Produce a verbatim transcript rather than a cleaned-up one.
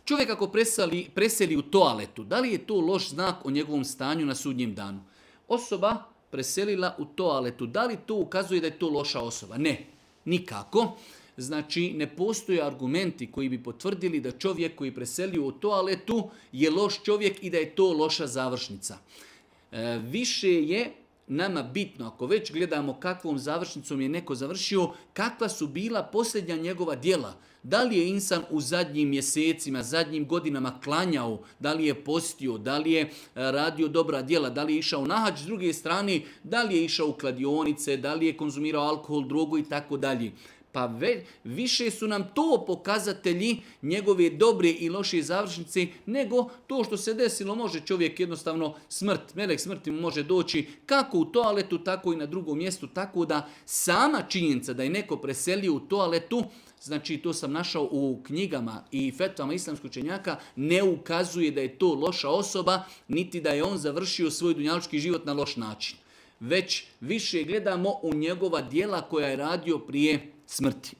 Čovjek ako preseli, preseli u toaletu, da li je to loš znak o njegovom stanju na sudnjem danu? Osoba preselila u toaletu, da li to ukazuje da je to loša osoba? Ne, nikako. Znači, ne postoje argumenti koji bi potvrdili da čovjek koji preselio u toaletu je loš čovjek i da je to loša završnica. E, više je nama bitno, ako već gledamo kakvom završnicom je neko završio, kakva su bila posljednja njegova djela. Da li je insan u zadnjim mjesecima, zadnjim godinama klanjao, da li je postio, da li je radio dobra djela, da li je išao na hadž, s druge strane, da li je išao u kladionice, da li je konzumirao alkohol, drogu i tako dalje. Pa ve, više su nam to pokazatelji njegove dobre i loše završnice nego to što se desilo. Može čovjek jednostavno smrt, melek smrti mu može doći kako u toaletu, tako i na drugom mjestu. Tako da sama činjenica da je neko preselio u toaletu, znači to sam našao u knjigama i fetvama islamskog učenjaka, ne ukazuje da je to loša osoba, niti da je on završio svoj dunjalučki život na loš način. Već više gledamo u njegova djela koja je radio prije smrti.